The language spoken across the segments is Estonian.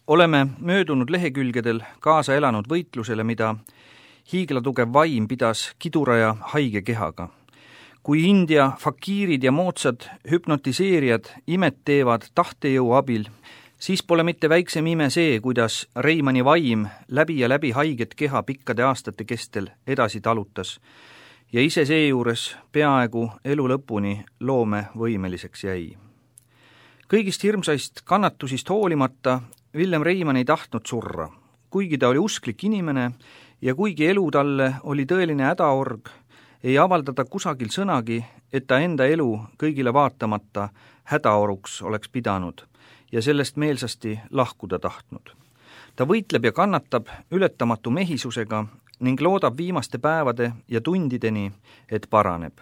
Oleme möödunud lehekülgedel kaasa elanud võitlusele, mida hiiglatugev vaim pidas kidura ja haige kehaga. Kui India fakiirid ja moodsad hüpnotiseerijad imet teevad tahtejõu abil, siis pole mitte väiksem ime see, kuidas Reimanni vaim läbi ja läbi haiget keha pikkade aastate kestel edasi talutas ja ise seejuures peaaegu elu lõpuni loomevõimeliseks jäi. Kõigist hirmsaist kannatusist hoolimata Villem Reimann ei tahtnud surra, kuigi ta oli usklik inimene ja kuigi elu talle oli tõeline hädaorg, ei avaldada kusagil sõnagi, et ta enda elu kõigile vaatamata hädaoruks oleks pidanud ja sellest meelsasti lahkuda tahtnud. Ta võitleb ja kannatab ületamatu mehisusega ning loodab viimaste päevade ja tundideni, et paraneb.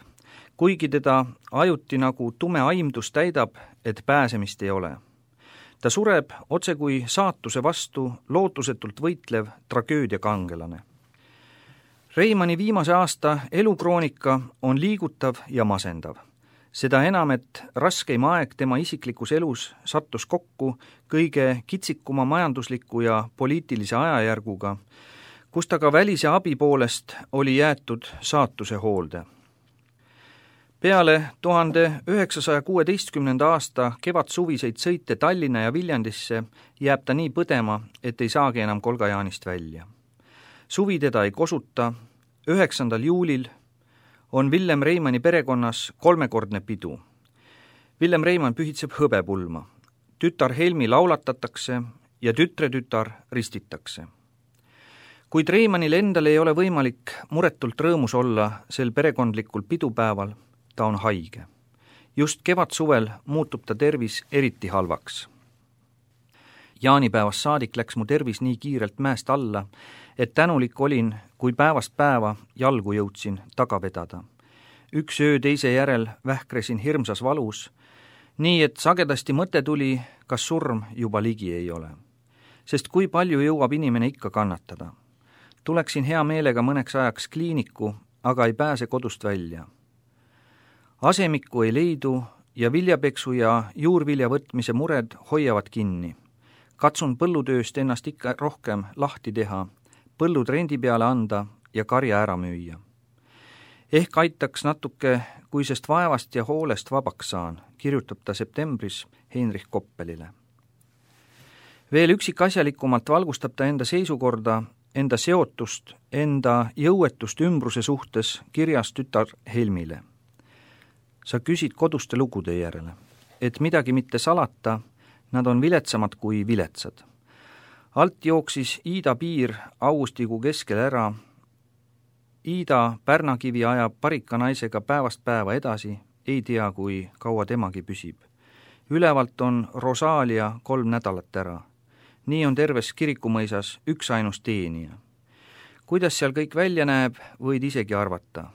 Kuigi teda ajuti nagu tume aimdus täidab, et pääsemist ei ole. Ta sureb otse kui saatuse vastu lootusetult võitlev tragöödiakangelane. Reimanni viimase aasta elukroonika on liigutav ja masendav. Seda enam, et raskeim aeg tema isiklikus elus sattus kokku kõige kitsikuma majandusliku ja poliitilise ajajärguga, kus ta ka välise abi poolest oli jäetud saatuse hoolde. Peale 1916. aasta kevadsuviseid sõite Tallinna ja Viljandisse jääb ta nii põdema, et ei saagi enam Kolgajaanist välja. Suvi teda ei kosuta, 9. juulil on Villem Reimanni perekonnas 3-kordne pidu. Villem Reimann pühitseb hõbepulma. Tütar Helmi laulatatakse ja tütretütar ristitakse. Kuid Reimannil endal ei ole võimalik muretult rõõmus olla sel perekondlikul pidupäeval, ta on haige. Just kevadsuvel muutub ta tervis eriti halvaks. Jaanipäevast saadik läks mu tervis nii kiirelt mäest alla, et tänulik olin, kui päevast päeva jalgu jõudsin taga vedada. Üks öö teise järel vähkresin hirmsas valus, nii et sagedasti mõte tuli, kas surm juba ligi ei ole. Sest kui palju jõuab inimene ikka kannatada. Tuleksin hea meelega mõneks ajaks kliiniku, aga ei pääse kodust välja. Asemikku ei leidu ja viljapeksu ja juurvilja võtmise mured hoiavad kinni. Katsun põllutööst ennast ikka rohkem lahti teha, põllud rendi peale anda ja karja ära müüa. Ehk aitaks natuke, kui sest vaevast ja hoolest vabaks saan, kirjutab ta septembris Heinrich Koppelile. Veel üksikasjalikumalt valgustab ta enda seisukorda, enda seotust, enda jõuetust ümbruse suhtes kirjas tütar Helmile. Sa küsid koduste lugude järele, et midagi mitte salata, nad on viletsamad kui viletsad. Alt jooksis Iida piir augustikuu keskel ära. Iida Pärnakivi ajab parika naisega päevast päeva edasi, ei tea, kui kaua temagi püsib. Ülevalt on Rosalia 3 nädalat ära. Nii on terves Kirikumõisas üks ainus teenija. Kuidas seal kõik välja näeb, võid isegi arvata.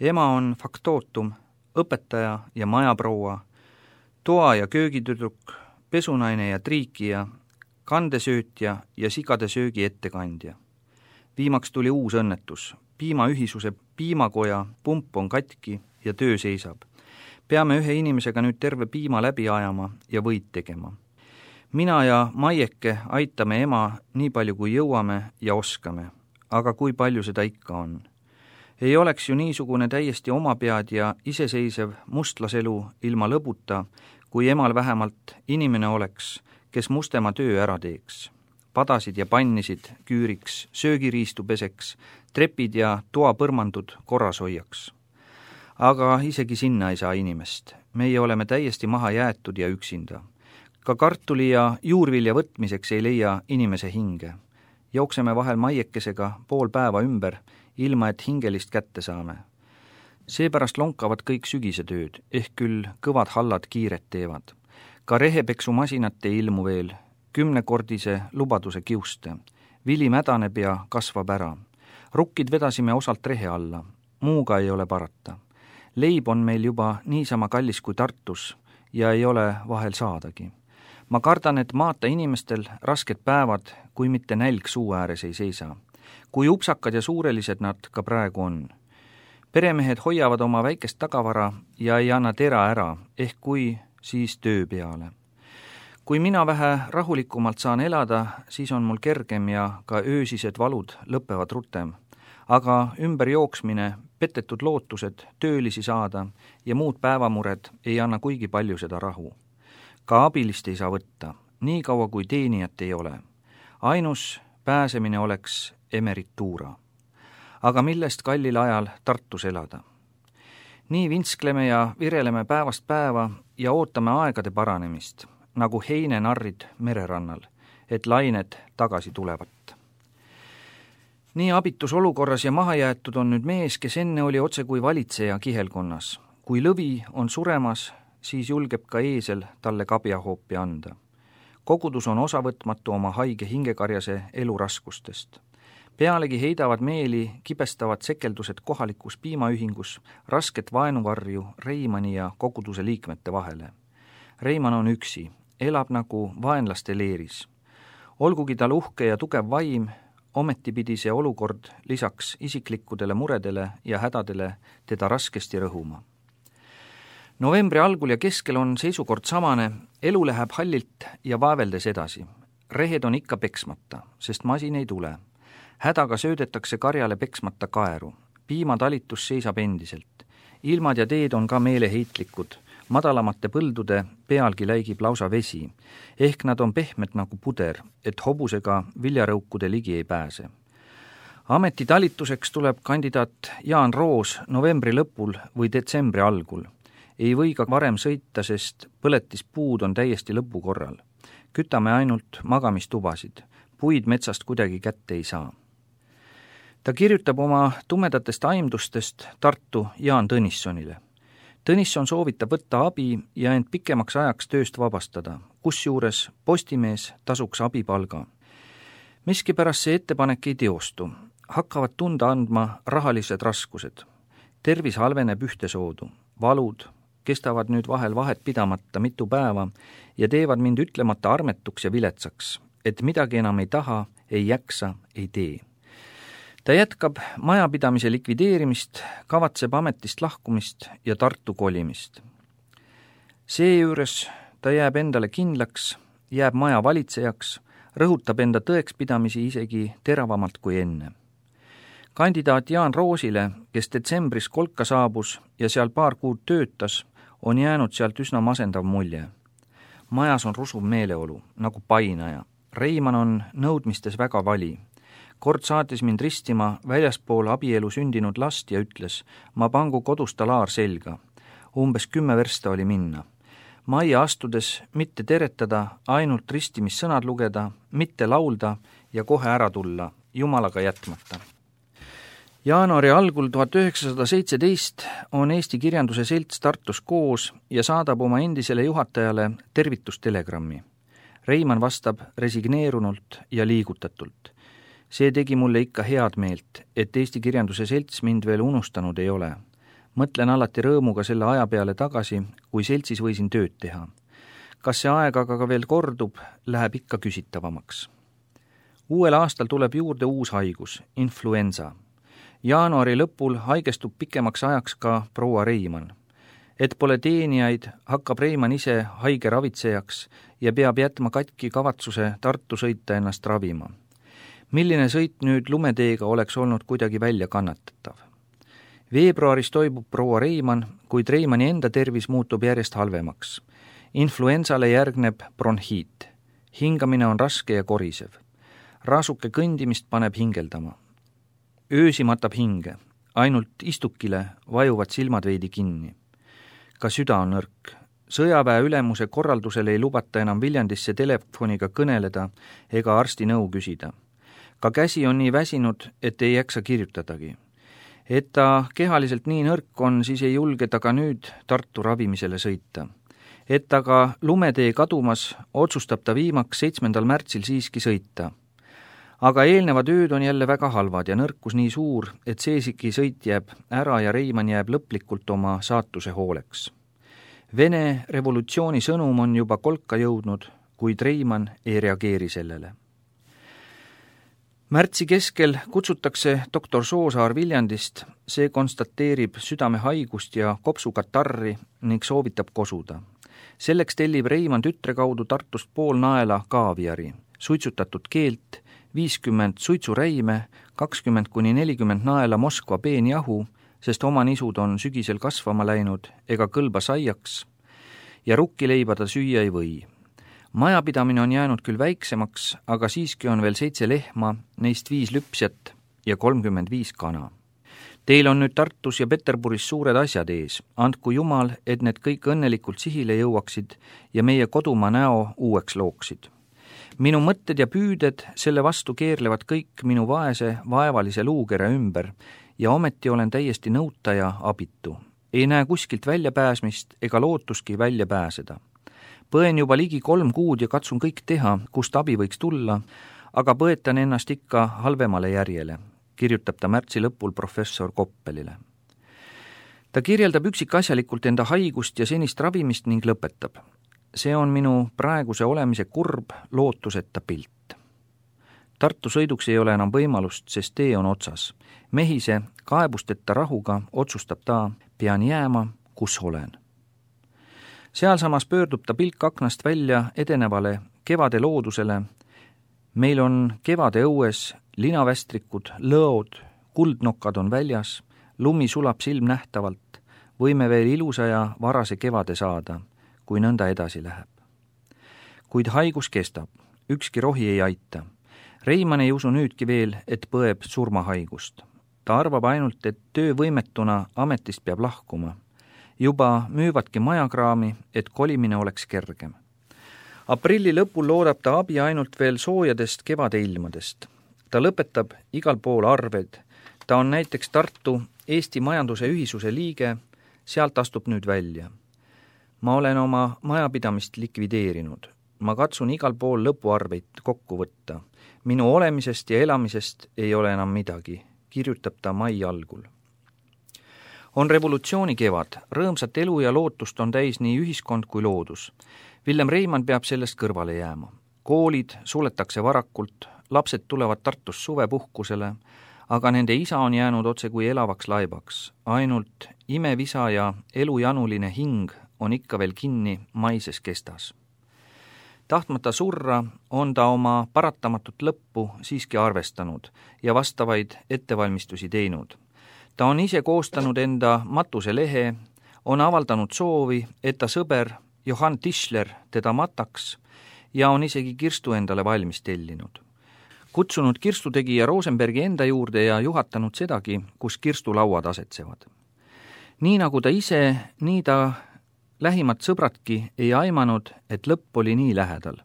Ema on faktootum, õpetaja ja majaproua, toa- ja köögitüdruk, pesunaine ja triikija, kandesöötja ja sigade söögi ettekandja. Viimaks tuli uus õnnetus. Piimaühisuse piimakoja pump on katki ja töö seisab. Peame ühe inimesega nüüd terve piima läbi ajama ja võid tegema. Mina ja Maieke aitame ema nii palju kui jõuame ja oskame, aga kui palju seda ikka on. Ei oleks ju niisugune täiesti omapead ja iseseisev mustlaselu ilma lõbuta, kui emal vähemalt inimene oleks, kes mustema töö ära teeks. Padasid ja pannisid küüriks, söögiriistu peseks, trepid ja toapõrmandud korras hoiaks. Aga isegi sinna ei saa inimest. Meie oleme täiesti maha jäetud ja üksinda. Ka kartuli ja juurvilja võtmiseks ei leia inimese hinge. Jookseme vahel Maiekesega pool päeva ümber, ilma et hingelist kätte saame. Seepärast lonkavad kõik sügisetööd, ehk küll kõvad hallad kiiret teevad. Ka rehepeksumasinat ei ilmu veel, 10-kordise lubaduse kiuste. Vili mädaneb ja kasvab ära. Rukkid vedasime osalt rehe alla, muuga ei ole parata. Leib on meil juba niisama kallis kui Tartus ja ei ole vahel saadagi. Ma kardan, et maata inimestel rasked päevad, kui mitte nälg suu ääres ei seisa. Kui upsakad ja suurelised nad ka praegu on. Peremehed hoiavad oma väikest tagavara ja ei anna tera ära, ehk kui, siis töö peale. Kui mina vähe rahulikumalt saan elada, siis on mul kergem ja ka öösised valud lõpevad rutem. Aga ümberjooksmine, petetud lootused, töölisi saada ja muud päevamured ei anna kuigi palju seda rahu. Ka abilist ei saa võtta, nii kaua kui teenijat ei ole. Ainus pääsemine oleks emerituura. Aga millest kallil ajal Tartus elada? Nii vinskleme ja vireleme päevast päeva ja ootame aegade paranemist, nagu heinenarrid mererannal, et lained tagasi tulevat. Nii abitus olukorras ja mahajäetud on nüüd mees, kes enne oli otse kui valitseja kihelkonnas. Kui lõvi on suremas, siis julgeb ka eesel talle kabjahoopi anda. Kogudus on osavõtmatu oma haige hingekarjase eluraskustest. Pealegi heidavad meeli kibestavad sekeldused kohalikus piimaühingus rasket vaenuvarju Reimani ja koguduse liikmete vahele. Reiman on üksi, elab nagu vaenlaste leeris. Olgugi tal uhke ja tugev vaim, ometi pidi see olukord lisaks isiklikkudele muredele ja hädadele teda raskesti rõhuma. Novembri algul ja keskel on seisukord samane, elu läheb hallilt ja vaeveldes edasi. Rehed on ikka peksmata, sest masin ei tule. Hädaga söödetakse karjale peksmata kaeru. Piimatalitus seisab endiselt. Ilmad ja teed on ka meeleheitlikud. Madalamate põldude pealgi läigib lausa vesi, ehk nad on pehmed nagu puder, et hobusega viljarõukude ligi ei pääse. Ametitalituseks tuleb kandidaat Jaan Roos novembri lõpul või detsembri algul. Ei või ka varem sõita, sest põletispuud on täiesti lõpukorral. Kütame ainult magamistubasid. Puid metsast kuidagi kätte ei saa. Ta kirjutab oma tumedatest aimdustest Tartu Jaan Tõnissonile. Tõnisson soovitab võtta abi ja end pikemaks ajaks tööst vabastada, kusjuures Postimees tasuks abipalga. Miskipärast see ettepanek ei teostu. Hakkavad tunda andma rahalised raskused. Tervis halveneb ühtesoodu. Valud kestavad nüüd vahel vahet pidamata mitu päeva ja teevad mind ütlemata armetuks ja viletsaks, et midagi enam ei taha, ei jaksa, ei tee. Ta jätkab majapidamise likvideerimist, kavatseb ametist lahkumist ja Tartu kolimist. Seejuures ta jääb endale kindlaks, jääb maja valitsejaks, rõhutab enda tõekspidamisi isegi teravamalt kui enne. Kandidaat Jaan Roosile, kes detsembris Kolka saabus ja seal paar kuud töötas, on jäänud sealt üsna masendav mulje. Majas on rusuv meeleolu, nagu painaja. Reiman on nõudmistes väga vali. Kord saatis mind ristima väljaspool abielu sündinud last ja ütles, ma pangu kodus talaar selga. Umbes 10 versta oli minna. Majja astudes mitte teretada, ainult ristimissõnad lugeda, mitte laulda ja kohe ära tulla, jumalaga jätmata. Jaanuari algul 1917 on Eesti Kirjanduse Selts Tartus koos ja saadab oma endisele juhatajale tervitustelegrammi. Reiman vastab resigneerunult ja liigutatult. See tegi mulle ikka head meelt, et Eesti Kirjanduse Selts mind veel unustanud ei ole. Mõtlen alati rõõmuga selle aja peale tagasi, kui seltsis võisin tööd teha. Kas see aeg aga ka veel kordub, läheb ikka küsitavamaks. Uuel aastal tuleb juurde uus haigus, influenza. Jaanuari lõpul haigestub pikemaks ajaks ka proua Reiman. Et pole teenijaid, hakkab Reiman ise haige ravitsejaks ja peab jätma katki kavatsuse Tartu sõita ennast ravima. Milline sõit nüüd lumeteega oleks olnud kuidagi välja kannatatav. Veebruaris toimub proua Reiman, kuid Reimani enda tervis muutub järjest halvemaks. Influensale järgneb bronhiit. Hingamine on raske ja korisev. Raasuke kõndimist paneb hingeldama. Öösi matab hinge, ainult istukile vajuvad silmad veidi kinni. Ka süda on nõrk. Sõjaväe ülemuse korraldusel ei lubata enam Viljandisse telefoniga kõneleda ega arsti nõu küsida. Ka käsi on nii väsinud, et ei jaksa kirjutadagi. Et ta kehaliselt nii nõrk on, siis ei julge ta ka nüüd Tartu ravimisele sõita. Et aga lumetee kadumas otsustab ta viimaks 7. märtsil siiski sõita. Aga eelnevad ööd on jälle väga halvad ja nõrkus nii suur, et seesiki sõit jääb ära ja Reiman jääb lõplikult oma saatuse hooleks. Vene revolutsiooni sõnum on juba Kolka jõudnud, kuid Reiman ei reageeri sellele. Märtsi keskel kutsutakse doktor Soosaar Viljandist, see konstateerib südamehaigust ja kopsukatarri ning soovitab kosuda. Selleks tellib Reimann tütre kaudu Tartust pool naela kaaviari, suitsutatud keelt, 50 suitsuräime, 20–40 naela Moskva peenjahu, sest oma nisud on sügisel kasvama läinud ega kõlba saiaks ja rukkileiba ta süüa ei või. Majapidamine on jäänud küll väiksemaks, aga siiski on veel 7 lehma, neist 5 lüpsjat ja 35 kana. Teil on nüüd Tartus ja Peterburis suured asjad ees. Andku Jumal, et need kõik õnnelikult sihile jõuaksid ja meie kodumaa näo uueks looksid. Minu mõtted ja püüded selle vastu keerlevad kõik minu vaese, vaevalise luukere ümber ja ometi olen täiesti nõuta ja abitu. Ei näe kuskilt väljapääsmist ega lootuski välja pääseda. Põen juba ligi 3 kuud ja katsun kõik teha, kust abi võiks tulla, aga põetan ennast ikka halvemale järjele, kirjutab ta märtsi lõpul professor Koppelile. Ta kirjeldab üksikasjalikult enda haigust ja senist ravimist ning lõpetab. See on minu praeguse olemise kurb, lootuseta pilt. Tartu sõiduks ei ole enam võimalust, sest tee on otsas. Mehise, kaebusteta rahuga otsustab ta, pean jääma, kus olen. Sealsamas pöördub ta pilk aknast välja edenevale kevade loodusele. Meil on kevade õues linavästrikud, lõod, kuldnokad on väljas, lumi sulab silmnähtavalt, võime veel ilusa ja varase kevade saada, kui nõnda edasi läheb. Kuid haigus kestab, ükski rohi ei aita. Reimann ei usu nüüdki veel, et põeb surmahaigust. Ta arvab ainult, et töövõimetuna ametist peab lahkuma. Juba müüvadki majakraami, et kolimine oleks kergem. Aprilli lõpul loodab ta abi ainult veel soojadest kevade ilmadest. Ta lõpetab igal pool arved. Ta on näiteks Tartu Eesti Majanduse Ühisuse liige, sealt astub nüüd välja. Ma olen oma majapidamist likvideerinud. Ma katsun igal pool lõpuarveid kokku võtta. Minu olemisest ja elamisest ei ole enam midagi, kirjutab ta mai algul. On revolutsiooni kevad, rõõmsat elu ja lootust on täis nii ühiskond kui loodus. Villem Reimann peab sellest kõrvale jääma. Koolid suletakse varakult, lapsed tulevad Tartus suvepuhkusele, aga nende isa on jäänud otse kui elavaks laibaks. Ainult imevisa ja elujanuline hing on ikka veel kinni maises kestas. Tahtmata surra on ta oma paratamatut lõppu siiski arvestanud ja vastavaid ettevalmistusi teinud. Ta on ise koostanud enda matuselehe, on avaldanud soovi, et ta sõber Johann Tischler teda mataks ja on isegi kirstu endale valmis tellinud. Kutsunud kirstutegija Rosenbergi enda juurde ja juhatanud sedagi, kus kirstulauad asetsevad. Nii nagu ta ise, nii ta lähimad sõbradki ei aimanud, et lõpp oli nii lähedal.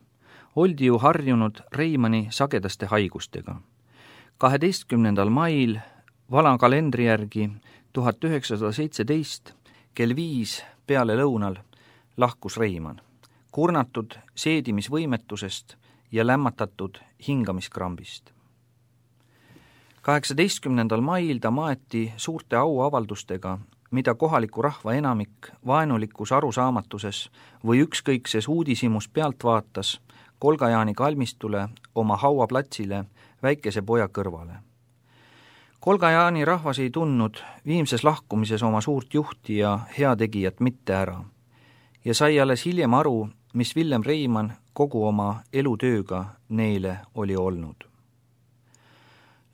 Oldi ju harjunud Reimanni sagedaste haigustega. 12. mail vana kalendri järgi 1917 kell 5 peale lõunal lahkus Reimann, kurnatud seedimisvõimetusest ja lämmatatud hingamiskrambist. 18. mail ta maeti suurte auavaldustega, mida kohaliku rahva enamik vaenulikus arusaamatuses või ükskõikses uudishimus pealt vaatas Kolga-Jaani kalmistule oma hauaplatsile väikese poja kõrvale. Kolga-Jaani rahvas ei tundnud viimses lahkumises oma suurt juhti ja heategijat mitte ära ja sai alles hiljem aru, mis Villem Reimann kogu oma elutööga neile oli olnud.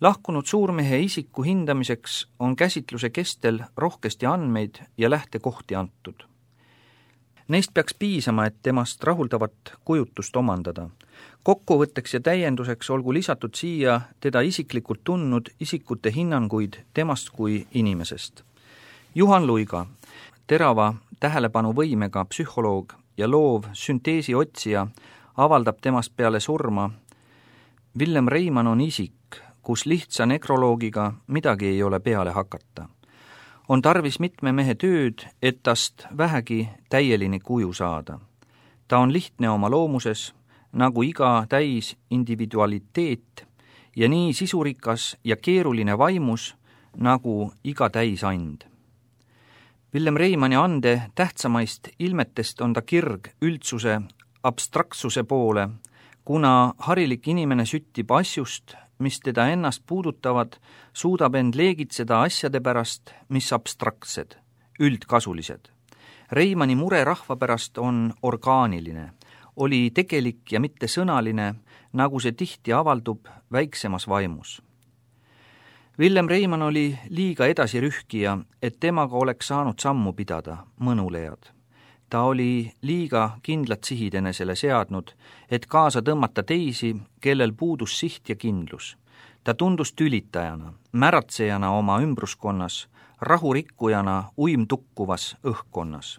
Lahkunud suurmehe isiku hindamiseks on käsitluse kestel rohkesti andmeid ja lähtekohti antud. Neist peaks piisama, et temast rahuldavat kujutust omandada. Kokkuvõtteks ja täienduseks olgu lisatud siia teda isiklikult tundnud isikute hinnanguid temast kui inimesest. Juhan Luiga, terava tähelepanuvõimega psühholoog ja loov sünteesi otsija, avaldab temast peale surma: Villem Reimann on isik, kus lihtsa nekroloogiga midagi ei ole peale hakata. On tarvis mitme mehe tööd, et tast vähegi täieline kuju saada. Ta on lihtne oma loomuses, nagu iga täis individualiteet, ja nii sisurikas ja keeruline vaimus, nagu iga täis and. Villem Reimanni ande tähtsamaist ilmetest on ta kirg üldsuse abstraktsuse poole, kuna harilik inimene süttib asjust, mis teda ennast puudutavad, suudab end leegitseda asjade pärast, mis abstraktsed, üldkasulised. Reimanni mure rahva pärast on orgaaniline, oli tegelik ja mitte sõnaline, nagu see tihti avaldub väiksemas vaimus. Villem Reimann oli liiga edasirühkija, et temaga oleks saanud sammu pidada, mõnulejad. Ta oli liiga kindlad sihid enesele seadnud, et kaasa tõmmata teisi, kellel puudus siht ja kindlus. Ta tundus tülitajana, märatsejana oma ümbruskonnas, rahurikkujana uimtukkuvas õhkkonnas.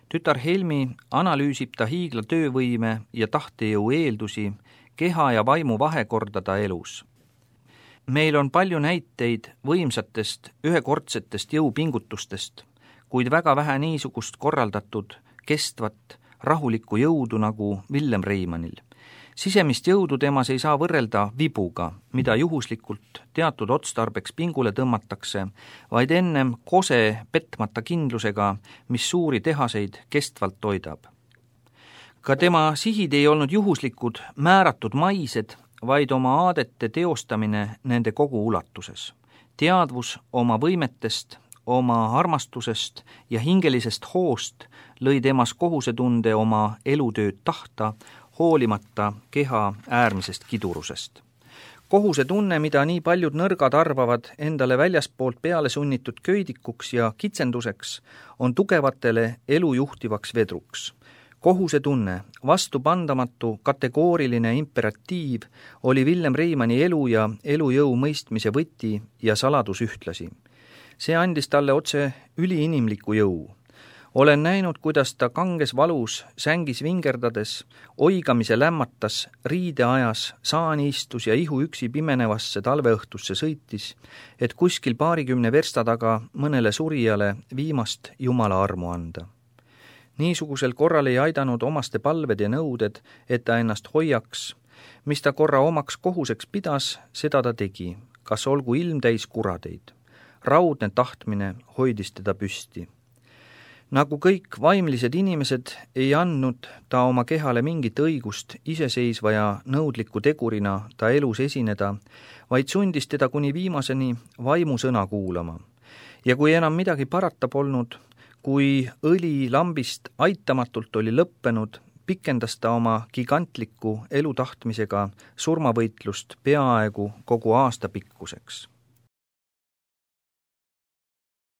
Tütar Helmi analüüsib ta hiigla töövõime ja tahtejõu eeldusi, keha ja vaimu vahekorda ta elus. Meil on palju näiteid võimsatest, ühekordsetest jõupingutustest, kuid väga vähe niisugust korraldatud, kestvat, rahulikku jõudu nagu Villem Reimannil. Sisemist jõudu temas ei saa võrrelda vibuga, mida juhuslikult teatud otstarbeks pingule tõmmatakse, vaid ennem kose petmata kindlusega, mis suuri tehaseid kestvalt toidab. Ka tema sihid ei olnud juhuslikud, määratud maised, vaid oma aadete teostamine nende kogu ulatuses. Teadvus oma võimetest, oma armastusest ja hingelisest hoost lõi temas kohusetunde oma elutööd tahta, hoolimata keha äärmisest kidurusest. Kohusetunne, mida nii paljud nõrgad arvavad endale väljaspoolt peale sunnitud köidikuks ja kitsenduseks, on tugevatele elu juhtivaks vedruks. Kohusetunne, vastupandamatu kategooriline imperatiiv oli Villem Reimanni elu ja elujõu mõistmise võti ja saladus ühtlasi. See andis talle otse üliinimliku jõu. Olen näinud, kuidas ta kanges valus, sängis vingerdades, oigamise lämmatas, riide ajas, saani istus ja ihu üksi pimenevasse talveõhtusse sõitis, et kuskil 20 versta taga mõnele surijale viimast Jumala armu anda. Niisugusel korral ei aidanud omaste palved ja nõuded, et ta ennast hoiaks, mis ta korra omaks kohuseks pidas, seda ta tegi, kas olgu ilmtäis kuradeid. Raudne tahtmine hoidis teda püsti. Nagu kõik vaimlised inimesed ei andnud ta oma kehale mingit õigust iseseisva ja nõudliku tegurina ta elus esineda, vaid sundis teda kuni viimaseni vaimu sõna kuulama. Ja kui enam midagi parata polnud, kui õli lambist aitamatult oli lõppenud, pikendas ta oma gigantliku elutahtmisega surmavõitlust peaaegu kogu aasta pikkuseks.